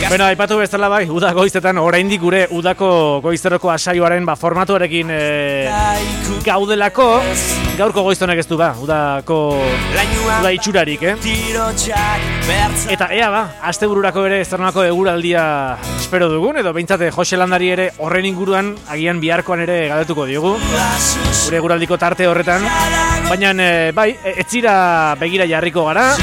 Bueno, aipatu bezala bai, uda goizetan oraindik gure udako goizeroko asaioaren formatuarekin gaudelako. Gaurko goizonek ez du udako uda itxurarik, Eta ea astebururako ere zernolako eguraldia espero dugun, edo behintzate Jose Landari ere horren inguruan agian biharkoan ere galdetuko diogu. Gure eguraldiko tarte horretan. Baina bai, etzira begira jarriko gara.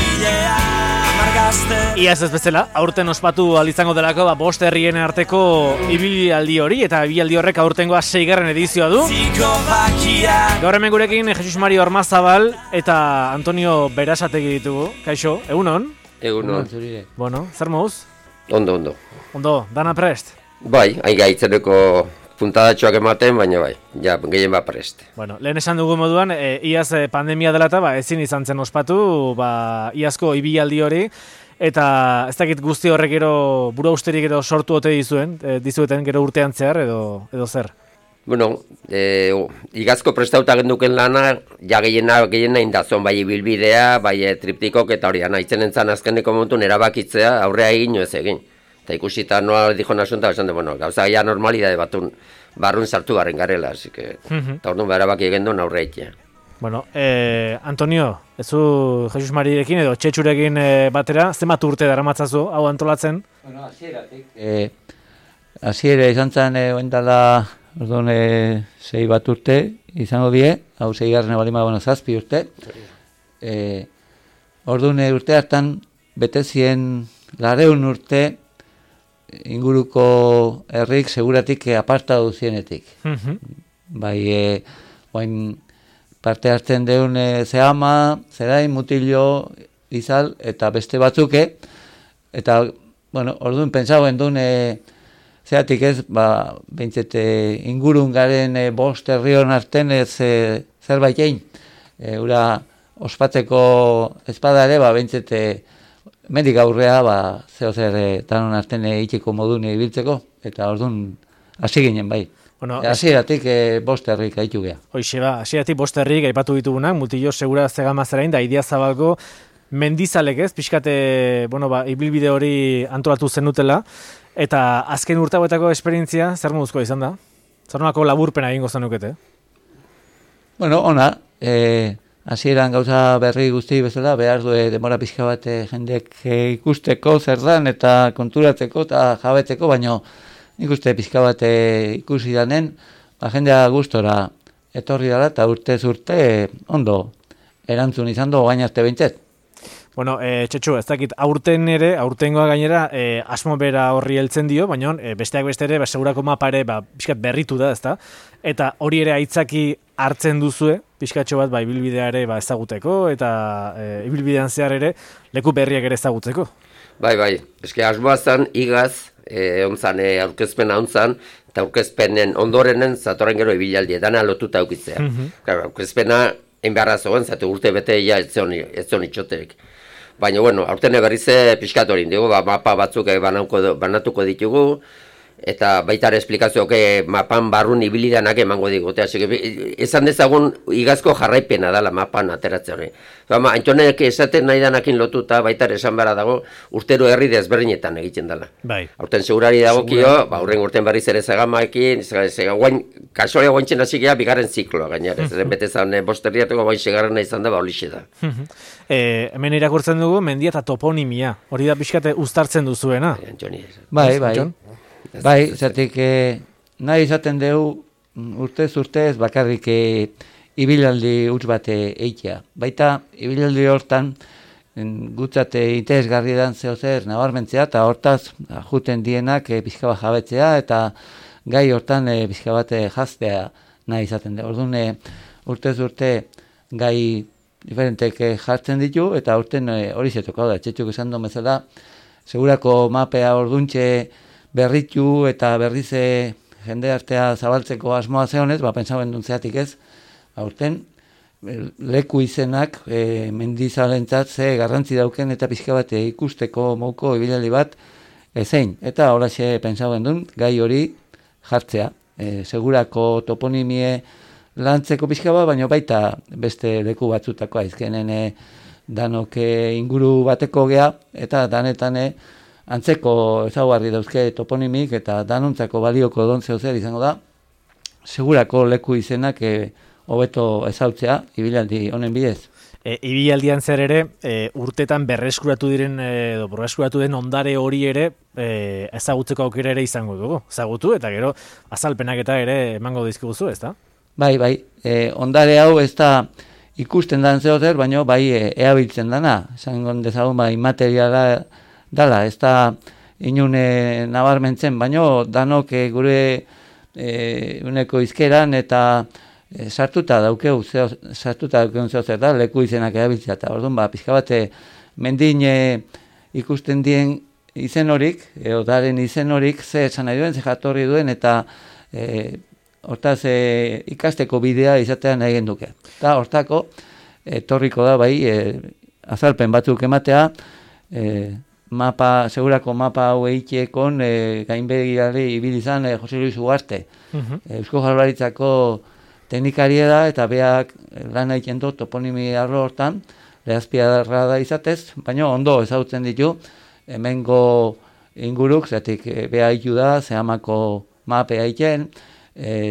Iaz ez bezala, aurten ospatu izango delako 5 herrien arteko ibilaldi hori, eta ibilaldi horrek aurtengoa 6. edizioa du. Gaur hemen gurekin Jesus Mari Ormazabal eta Antonio Berasategi ditugu. Kaixo, egunon? Egunon. Bueno, zer moduz? Ondo. Ondo, dana prest? Bai, hain gaitzeneko puntadatxoak ematen, baina bai, ja, gehien prest. Bueno, lehen esan dugu moduan, iaz pandemia dela eta ezin izan zen ospatu, iazko ibilaldi hori, eta ez dakit guzti horrek gero burausterik gero sortu ote dizueten gero urtean zehar edo zer? Bueno, igazko prestauta genduken lana, ja gehiena indazon, bai ibilbidea, bai triptikok eta hori, nahitzen entzan azkeneko montun erabakitzea, aurrea egin ez egin. Eta ikusita noa dijo nasunta, esan de, bueno, gauza ya normalidade batun barrun sartu garen garela, así que, eta orduan berabaki egin duen aurre egitea. Bueno, Antonio, ezu Jesus Marirekin edo Txetxurekin batera, zenbat urte daramatzazu hau antolatzen? Bueno, hasieratik. Hasiera izan zen oendala, orduan 6 bat urte izango die, hau 6. balima, 7 urte. Orduan urte hartan, betezien 200 urte, inguruko herrik seguratik aparta duzienetik. Bai, oain parte hartzen deun Zehama, Zerain, Mutillo, Izal, eta beste batzuke, eta, bueno, orduan pentsauen duen, zeatik ez, behintzete ingurun garen 5 herrion arten ez zerbait egin. Ura ospatzeko espada ere, behintzete mendik aurrea, zeo zer tanon arten itxeko modun ibiltzeko, eta orduan hasi ginen bai. Bueno, hasieratik 5 herrik gaitu geha. Hoixe hasieratik 5 herrik aipatu ditugunak, Mutillo, Segura, Zegama, Zerain, da Idiazabalgo mendizalek ez, pixkate, ibilbide hori antolatu zenutela, eta azken urtagoetako esperientzia, zer moduzko izan da? Zer nolako laburpena egingo zenukete? Bueno, ona, hasieran gauza berri guzti bezala, behar du demora pixka bat jendek ikusteko zer dan eta konturatzeko eta jabetzeko, baina nik uste pixka bat ikusi danen, jendea gustora etorri dara eta urtez urte ondo erantzun izan du gain arte behintzet. Bueno, Txetxu, ez dakit aurtengoa gainera asmo bera horri heltzen dio, baina besteak beste ere, segurako mapa ere pixkat berritu da, ezta? Eta hori ere aitzaki hartzen duzue, pixkatxo bat ibilbidea ere ezaguteko, eta ibilbidean zehar ere leku berriak ere ezagutzeko. Bai, eske asmoa zan, igaz, onzan, aurkezpena onzan, eta aurkezpenen ondorenen zatorren gero ibilaldi, dana lotuta aukitzea. Aurkezpena enbeharra zoen, zate urte bete ez zion itxoterik. Baina, bueno, aurten berrize pixkat hori, mapa batzuk banatuko ditugu, eta baita ere esplikazioak mapan barrun ibilidanak emango digute. Esan dezagun igazko jarraipena dela mapan ateratzen hori. Antonek esaten nahi danakin lotuta, baita ere esan behar dago, urtero herri desberdinetan egiten dela. Bai. Aurten segurari dagokio, aurren urten berriz ere Zegamaekin, kasualia guaintzen hasi geha, bigarren zikloa gainera. Bete zan, 5 herriatuko guain segarrena izan da, horixe da. Hemen irakurtzen dugu, mendia eta toponimia. Hori da pixkate uztartzen duzuena. Bai, zertik nahi izaten dugu urtez bakarrik ibilaldi huts bat eitea. Baita ibilaldi hortan gutzate interesgarri dan zeo zer nabarmentzea eta hortaz juten dienak pixka bat jabetzea eta gai hortan pixka bat jaztea nahi izaten dugu. Orduan urtez urte gai diferentek jartzen ditu eta urten hori zetuko da. Txetxuk esan duen bezala, segurako mapea orduntxe berritu eta berriz jende artea zabaltzeko asmoa zeonez, pentsauen duen zeatik ez, aurten leku izenak mendizalentzat ze garrantzi dauken eta pixka bat ikusteko mouko ibilaldi bat ezein. Eta holaxe pentsauen duen gai hori jartzea. Segurako toponimie lantzeko pixka bat, baina baita beste leku batzutako aizkenen danok inguru bateko gea eta danetan antzeko ezaugarri dauzke toponimik eta danontzako balioko dontzeo zer izango da, segurako leku izenak hobeto ezautzea ibilaldi honen bidez. Ibilaldian zer ere, urtetan berreskuratu diren edo berreskuratu den ondare hori ere ezagutzeko aukera ere izango dugu. Ezagutu eta gero azalpenak eta ere emango dizkiguzu, ezta? Bai, ondare hau ez da ikusten dan zeozer, baina bai eabiltzen dana. Esango dezagun bai materiala dala, ez da inune nabarmentzen, baina danok gure uneko izkeran eta sartuta daukeu zer da, leku izenak erabiltzea, eta orduan, pixka bat, mendin ikusten dien izen horik, odaren izen horik, ze esan nahi duen, ze jatorri duen, eta hortaz ikasteko bidea izatean nahi genduke. Eta hortako, etorriko da, bai, azalpen batzuk ematea, segurako mapa hau eitekon gainbegirari ibilizan Jose Luis Ugarte. Eusko Jaurlaritzako teknikaria da eta beak lan egiten du toponimi arlo hortan, lehazpiarra da izatez, baina ondo ezagutzen ditu hemengo inguruk, zetik bea hitu da, zehamako mapea egiten,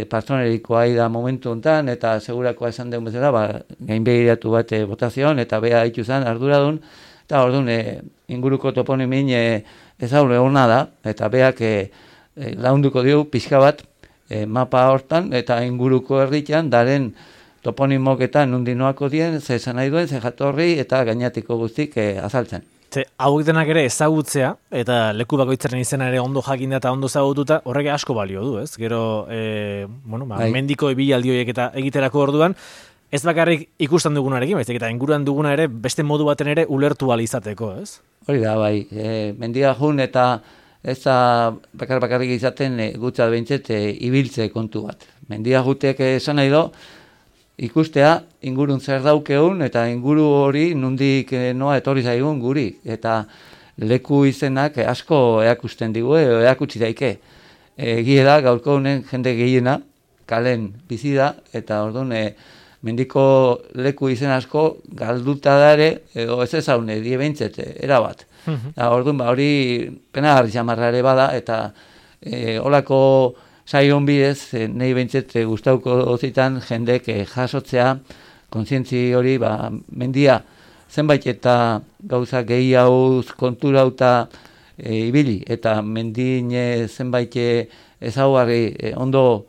partzonerikoa da momentu honetan, eta segurakoa esan deun bezala, gainbegiratu bat botazion, eta bea hitu zen arduradun, eta orduan inguruko toponimin ezaure hona da, eta beak launduko dio pixka bat, mapa hortan eta inguruko herritan daren toponimoketan nundinoako dien, ze esan nahi duen, ze jatorri eta gainatiko guztik azaltzen. Hauek denak ere ezagutzea eta leku bakoitzaren izena ere ondo jakinda eta ondo ezagututa horrek asko balio du, ez? Gero, mendiko ibilaldi horiek eta egiterako orduan, ez bakarrik ikusten dugunarekin, baizik eta inguruan duguna ere beste modu baten ere ulertu ahal izateko, ez? Hori da, bai, mendia jun eta ez da bakarrik izaten gutzat behintzet ibiltze kontu bat. Mendia jutek esan nahi do, ikustea ingurun zer daukeun eta inguru hori nundik noa etorri zaigun guri. Eta leku izenak asko eakusten digu, eakutsi daike. Egie da, gaurko honen jende gehiena, kalen bizi da, eta orduan mendiko leku izen asko galduta dare, edo ez ezaune, die behintzet, erabat. Orduan, hori penagarri xamarra ere bada, eta holako saion bidez, nahi behintzet gustauko zitan jendek jasotzea, kontzientzi hori, mendia zenbait eta gauza gehiagoz konturauta ibili, eta mendin zenbait ezaugarri ondo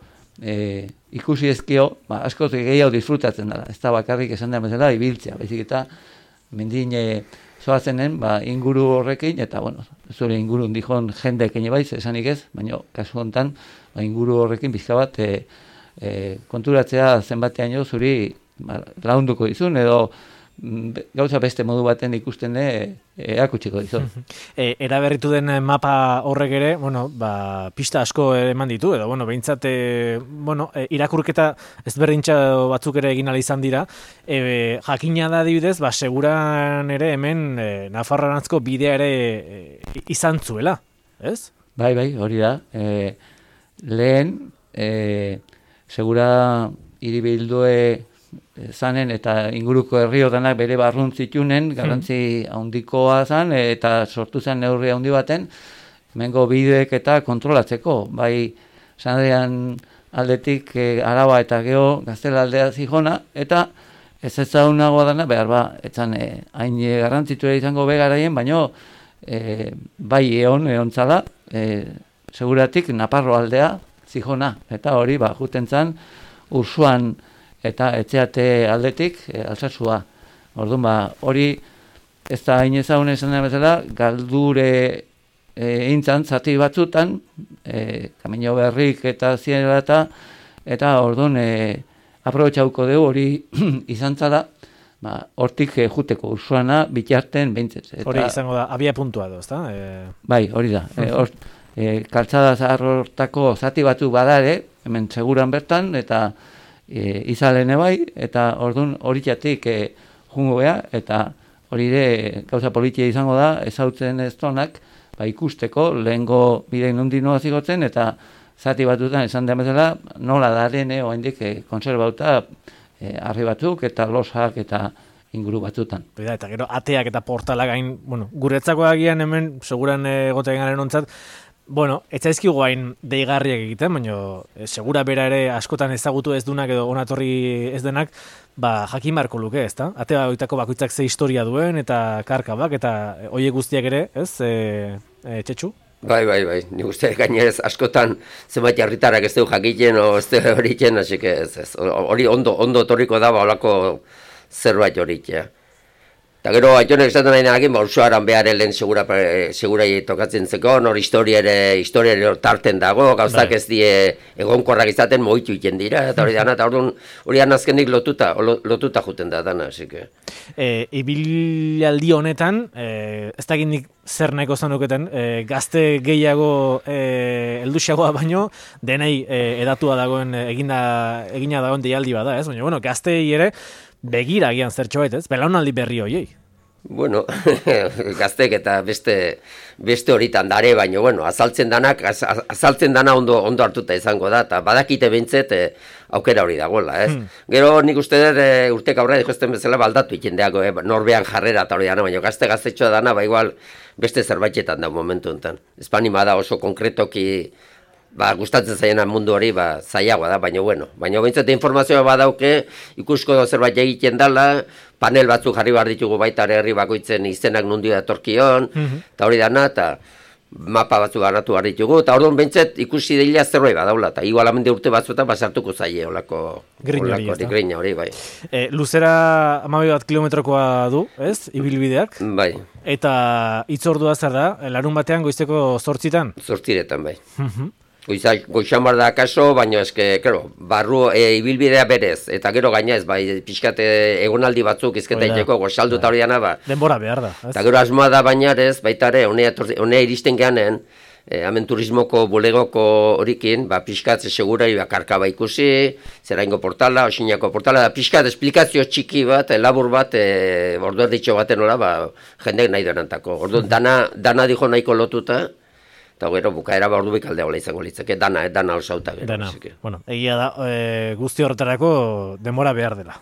ikusi ezkio, askoz gehiago disfrutatzen dela, ez da bakarrik esan da bezala ibiltzea, baizik eta mendin zoazenen inguru horrekin, eta zure ingurun dihon jendek baiz, esanik ez, baina kasu honetan inguru horrekin pixka bat konturatzea zenbatean zuri launduko dizun, edo gauza beste modu baten ikusten erakutsiko dizun. Eraberritu den mapa horrek ere, pista asko eman ditu, edo, behintzat, irakurketa ezberdintza batzuk ere egin ala izan dira, jakina da adibidez, seguran ere hemen Nafarroarantzko bidea ere izan zuela, ez? Bai, hori da. Lehen, segura hiribildue zanen eta inguruko herriotanak bere barrun zitunen, garrantzi handikoa zan, eta sortu zen neurri handi baten, hemengo bideek eta kontrolatzeko. Bai, Sanadrian aldetik Araba eta Geo Gaztela aldea zihona, eta ez ezagunagoa dana, behar etzan hain garrantzitua izango begaraien, baino bai eon zala, seguratik Naparro aldea zihona, eta hori juten zan Ursuan eta etxeate aldetik Alsasua. Orduan, hori ez da hain ezagun esan da bezala, galdure eintzan zati batzutan, Kamino Berrik eta Zienera eta orduan aprobetxauko dugu hori izan zala, hortik juteko Ursuana bitarten behintzez. Hori izango da, abia puntua edo, ezta? Bai, hori da. Kaltzada zahar hortako zati batzuk badare, hemen seguran bertan, eta izalene bai, eta orduan horitzatik jungo beha, eta hori ere gauza politia izango da, ezautzen ez tonak, ikusteko, lehengo bidein nondinoa zigotzen, eta zati batutan esan den bezala, nola daren, oaindik konserbauta arri batzuk, eta losak, eta inguru batzutan. Eta gero ateak eta portalak gain, bueno, guretzako agian hemen, seguran egoten garen ontzat, bueno, ez zaizkigu hain deigarriak egiten, baina segura bera ere askotan ezagutu ez dunak edo onatorri ez denak, jakin barko luke, ez da? Ate bakoitzak ze historia duen eta karkabak eta hoiek guztiak ere, ez, Txetxu? Bai, nik uste gainez askotan zenbait herritarrak ez dugu jakiten o ez dugu horiken, hasi que ez. Hori ondo torriko da, holako zerbait horik, ja. Eta gero, aitonek esaten nahi nahin, ursuaran behar helen segurai tokatzen zeko, nor historiare tarten dago, gauzak ez die egonkorrak izaten moitu iten dira, eta hori dana, eta hori azkenik lotuta juten da dana, hasi que. Ibilaldi honetan, ez dakit nik zer nahiko zanuketen, gazte gehiago helduxagoa baino, denei edatua dagoen, egina dagoen deialdi bada, ez? Baina, bueno, gaztei ere, begira agian zertxo bait, ez? Belaunaldi berri hoiei. Bueno, gaztek eta beste horitan dare, baina, bueno, azaltzen dana ondo hartuta izango da, eta badakite behintzet aukera hori dagoela, ez? Gero nik uste dut urtek aurre dikosten bezala baldatu ikendeako, norbean jarrera eta hori dana, baina gaztetxoa dana, igual beste zerbaitetan da momentu enten. Espanima da oso konkretoki gustatzen zaiena mundu hori, zailagoa da, baina bueno. Baina behintzat informazioa badauke, ikusko zerbait egiten dela, panel batzuk jarri behar ditugu baita herri bakoitzen izenak nundi datorkion, eta hori dana, eta mapa batzuk ganatu behar ditugu, eta orduan behintzat ikusi dela zerbait badaula, eta igual amende urte batzuetan basartuko zaie olako grina hori, bai. Luzera 12 kilometrokoa du, ez, ibilbideak? Bai. Eta hitzordua zer da, larun batean goizeko 8:00? 8:00 bai. Goizan bar da akaso, baina eske, barru ibilbidea berez, eta gero gaina ez, pixkate egonaldi batzuk izketa iteko, goxaldu eta hori dana, denbora behar da. Eta gero asmoa da baina ez, baita ere, honea iristen geanen, hemen turismoko bulegoko horikin, pixkat segurai karkaba ikusi, zeraingo portala, osinako portala, da pixkat esplikazio txiki bat, labur bat, ordu erditxo baten hola, jendek nahi denantako. Ordu dana dijo nahiko lotuta, eta gero bukaera ordu bikaldea hola izango litzake, dana osauta gero. Dana, bueno, egia da, guzti horretarako denbora behar dela.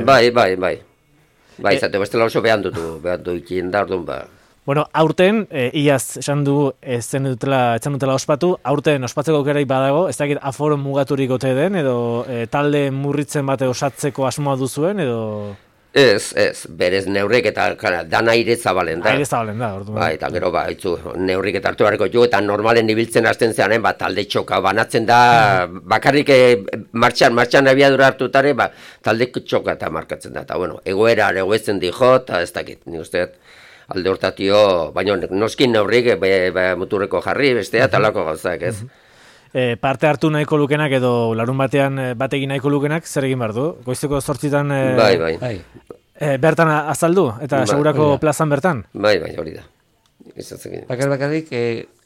Bai, izate bestela oso behan dutu ikien da, orduan Bueno, aurten, iaz esan du etzen dutela ospatu, aurten ospatzeko aukerai badago, ez dakit aforo mugaturik ote den, edo talde murritzen bate osatzeko asmoa duzuen, edo... Ez, berez neurrik eta dana aire zabalen da. Aire zabalen da, orduan. Eta gero, neurrik eta hartu beharko jo, eta normalen ibiltzen hasten zeanen, talde txoka banatzen da, bakarrik martxan abiadura hartutare, talde txoka eta markatzen da. Eta, bueno, egoera egoetzen dijo, eta ez dakit, nik uste alde hortatio, baina noskin neurrik, muturreko jarri, bestea, talako gauzak, ez. Parte hartu nahiko lukenak edo larun batean bategin nahiko lukenak zer egin behar du? Goizeko 8:00 Bai. Bertan azaldu eta segurako plazan bertan? Bai, hori da. Bakarrik,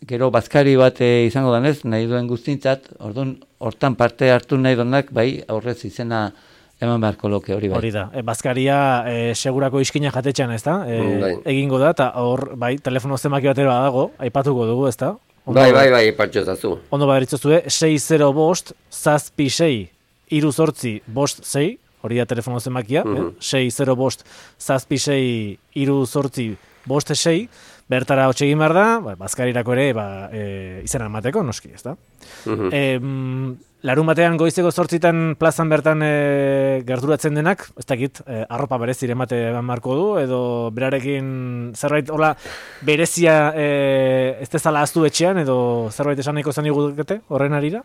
gero bazkari bat izango danez, nahi duen guztintzat, orduan, hortan parte hartu nahi duenak, bai, aurrez izena eman beharko loke hori bai. Hori da, bazkaria segurako iskina jatetxean, ez da? Egingo da, eta hor, bai, telefono zemaki batera dago, aipatuko dugu, ez da? Bai, patxotazu. Ondo baderitzozue, 605 756 386 hori da telefono zemakia, 605 756 386 bertara hotxe egin behar da, bazkarirako ere izena emateko, noski, ez da? Larun batean goizeko 8:00 plazan bertan gerturatzen denak, ez dakit, arropa berezire emate marko du, edo berarekin zerbait hola berezia ez dezala aztu etxean, edo zerbait esan nahiko zan igudekete horren arira?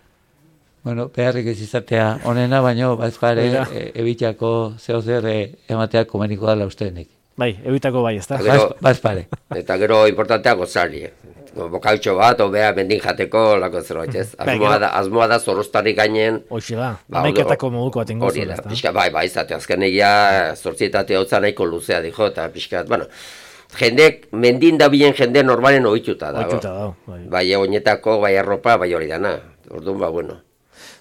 Bueno, beharrik ez izatea onena, baina bazkare ebitako zehozer ematea komeniko dela ustenik. Bai, ebitako bai, ez da? Bazpare. Eta gero importantea gozari. Bokautxo bat, obea bendin jateko, lako zerbait, ez? Asmoa da zorroztari gainen. Hoxe da, amaiketako moduko bat ingo zuen, ez da? Pixka, bai, izate, azken egia, zortzietate hau nahiko luzea dijo, eta pixka, bueno, jendek, mendin da bilen jende normalen ohituta dago. Ohituta dago, bai, oinetako, bai arropa, bai hori dana. Orduan, bueno.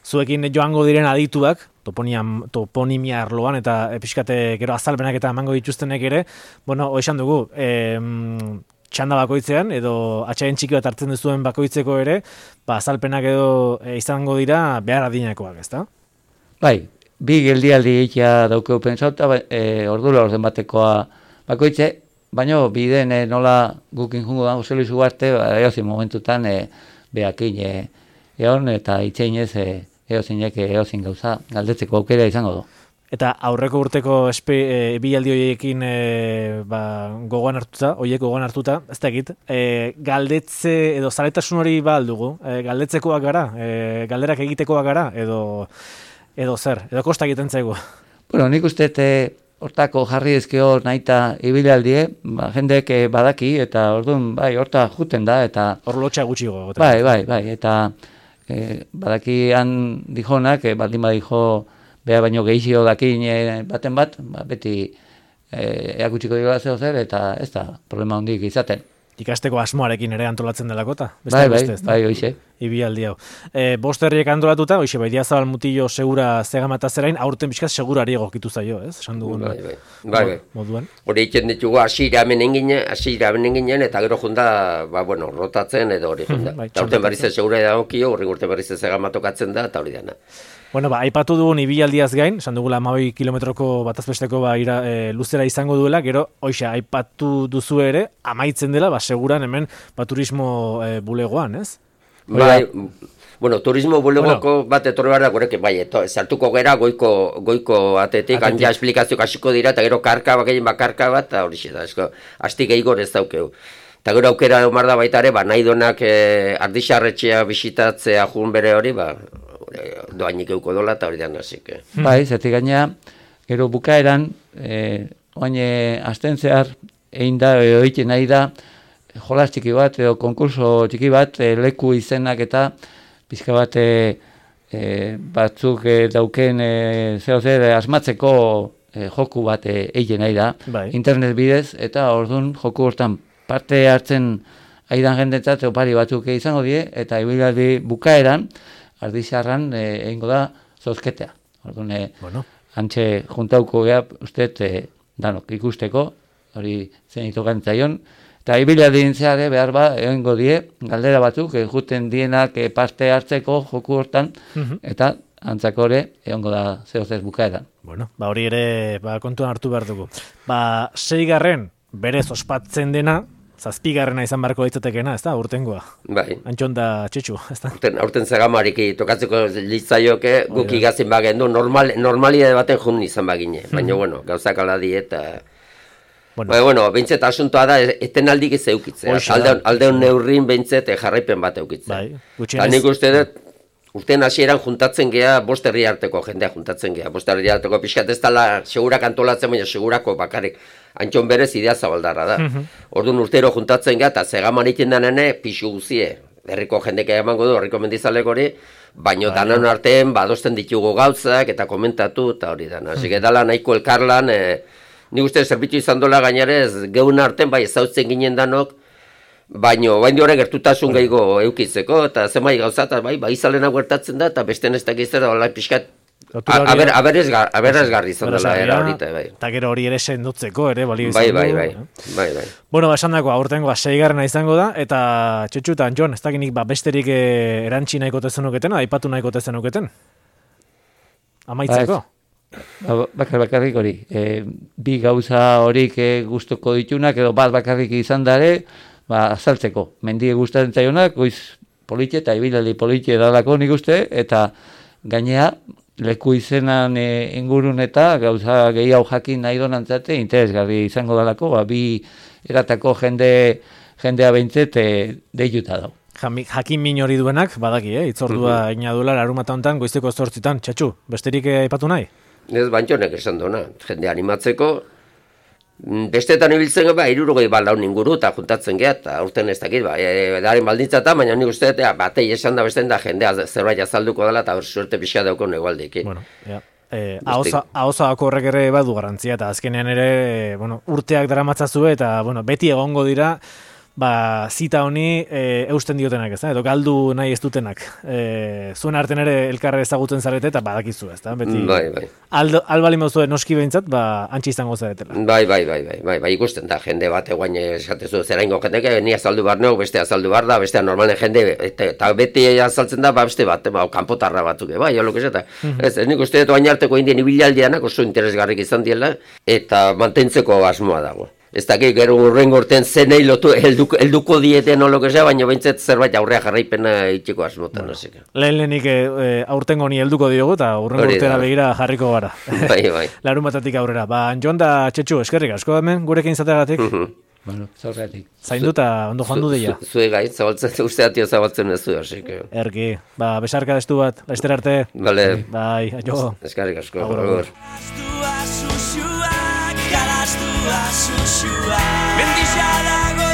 Zuekin joango diren adituak, toponimia arloan, eta pixkate gero azalpenak eta emango dituztenek ere, bueno, hoxan dugu, txanda bakoitzean, edo atxaien txiki bat hartzen duzuen bakoitzeko ere, azalpenak edo izango dira behar adinakoak, ezta? Bai, bi geldialdi egitea daukeu pentsauta, ordula orden batekoa bakoitze, baina biden nola gukin jungo da, Jose Luis Ugarte, eozin momentutan behakin egon, eta itxeinez eozinek eozin gauza galdetzeko aukera izango du. Eta aurreko urteko bilaldi horiekin gogoan hartuta, ez dakit, galdetze edo zaletasun hori ba aldugu, galdetzekoak gara, galderak egitekoak gara, edo zer, edo kosta egiten zaigu. Bueno, nik uste hortako jarri ezkeo nahita ibilaldi, jendek badaki, eta orduan, horta juten da, eta... Hor lotxa gutxigo. Bai, eta badaki han dijonak, baldin badijo beha baino gehizio dakin baten bat, beti eakutsiko dira zeo zer, eta ez da problema hondik izaten. Ikasteko asmoarekin ere antolatzen delakota? Bai, hoxe. Ibialdi hau. Bost herriek antolatuta, hoxe, Baidiazabal Mutillo segura Zegamata zerain, aurten bizkaz segurari egokitu zaio, ez? Esan dugun. Bai. Moduan. Hori itzen ditugu asira hemen ginen, eta gero junda, rotatzen edo hori junda. Eta aurten berriz segura edagokio, horri urten berriz Zegamatokatzen da, eta hori dana. Bueno, aipatu dugun ibialdiaz gain, esan dugula 12 kilometroko batazbesteko luzera izango duela, gero, hoxe, aipatu duzu ere, amaitzen dela, seguran hemen, turismo bulegoan, ez? Bai, bueno, turismo bulegoko bat etorri behar da, gureke, sartuko gera goiko atetik, anja esplikazio kasiko dira, eta gero karka bat, eta hori da, asti gehigor ez daukeu. Eta gero aukera omar da baita ere, nahi donak Ardixarretxea bisitatzea jun bere hori, doainik euko dola eta hori da nazik. Bai, zertik gaina, gero bukaeran, oain asten zehar, egin da, egiten nahi da, jolas txiki bat, edo konkurso txiki bat, leku izenak eta pizka bat batzuk dauken zer asmatzeko joku bat egiten nahi da, internet bidez, eta orduan joku hortan parte hartzen aidan jendetzat opari batzuk izango die, eta ibilaldi bukaeran, Ardixarran egingo da zozketea. Orduan, antxe juntauko geha, usteet, danok ikusteko, hori zen itokantzaion, eta ibilaldi intzeare behar egingo die, galdera batzuk, juten dienak parte hartzeko joku hortan, eta antzako ere, egongo da zehozer bukaeran. Bueno, hori ere kontuan hartu behar dugu. 6. berez ospatzen dena, 7. izan beharko ditzatekena, ez da, urtengoa. Bai. Antxon da txetxu, ez da. Aurten Zegamariki tokatzeko litzaioke, guk igazin bagendu, normalidade baten jun izan bagine. Baina, gauzak ala dieta. Bueno, behintzet asuntoa da, etenaldik ez eukitzea. Aldeon neurrin behintzet jarraipen bat eukitzea. Eta nik uste dut, urtean hasieran juntatzen gea, 5 herri arteko jendea juntatzen gea. 5 herri arteko pixkat ez dala segurak antolatzen, baina segurako bakarrik. Antxon berez idea zabaldarra da. Orduan urtero juntatzen gea, eta Zegaman egiten denene pixu guzie. Herriko jendeka emango du, herriko mendizalek hori, baino danan artean badosten ditugu gauzak, eta komentatu, eta hori dana. Asik edala nahiko elkarlan, nik uste zerbitzu izan dola gainarez, geun artean bai ezautzen ginen danok, baino, bain horren gertutasun gehiago eukitzeko, eta zemai gauza, eta bai izalena gertatzen da, eta beste nestak izan da, pixkat, aberazgarri izan dela era horita, bai. Eta gero hori ere sendotzeko ere, balio izan du. Bai. Bueno, esan dako, aurtengoa 6. izango da, eta Txetxu eta Antxon, ez dakinik besterik erantzi nahiko tezenuketen, aipatu nahiko tezenuketen? Amaitzeko? Bakarrik hori. Bi gauza horik gustuko ditunak, edo bakarrik izan dare, azaltzeko. Mendie gustatzen zaionak, goiz politxe eta ibilaldi politxe dalako nik uste, eta gainea, leku izenan ingurun eta gauza gehiago jakin nahi donantzate interesgarri izango dalako, bi eratako jendea behintzet deituta dau. Jakin min hori duenak, badaki, itzordua inaduela larumata honetan goizeko 8:00, Txetxu, besterik aipatu nahi? Ez bantxonek esan duna, jende animatzeko, bestetan ibiltzen gara, 60 baldaun inguru eta juntatzen geha, eta urten ez dakit, edaren baldintza eta, baina nik uste, batei esan da bestean da jendea zerbait azalduko dela, eta suerte pixka daukon egualdik. Bueno, ahozako horrek ere badu garantzia, eta azkenean ere urteak daramatzazue, eta beti egongo dira, zita honi eusten diotenak, ez da? Edo galdu nahi ez dutenak. Zuen arten ere elkarre ezagutzen zarete eta badakizu, ez da? Beti, Bai. Albali mauzue noski behintzat, antxe izango zaretela. Bai, ikusten da, jende bat eguain esatezu, zera ingo jendeke, ni azaldu behar neuk, beste azaldu behar da, bestea normalen jende, eta beti azaltzen da, beste bat, kanpotarra batuk, bai, jolok esata. Ez, nik uste dut oain arteko indien ibilaldianak oso interesgarrik izan diela, eta mantentzeko asmoa dago. Ez dakik, gero urrengo urtean zenei lotu helduko dieten olok esea, baina behintzat zerbait aurrea jarraipena itxiko asmotan. Lehenik aurtengo ni helduko diogu eta urrengo urtera begira jarriko gara. Bai. Larun batatik aurrera. Jon da Txetxu, eskerrik asko hemen gurekin izateagatik. Bueno, zaurretik. Zainduta, ondo joan du deia. Zue gai, usteatio zabaltzen ez du, asik. Erki, besarka destu bat, laizter arte. Bale. Bai, aio. Eskerrik asko. Agur. Mendixadago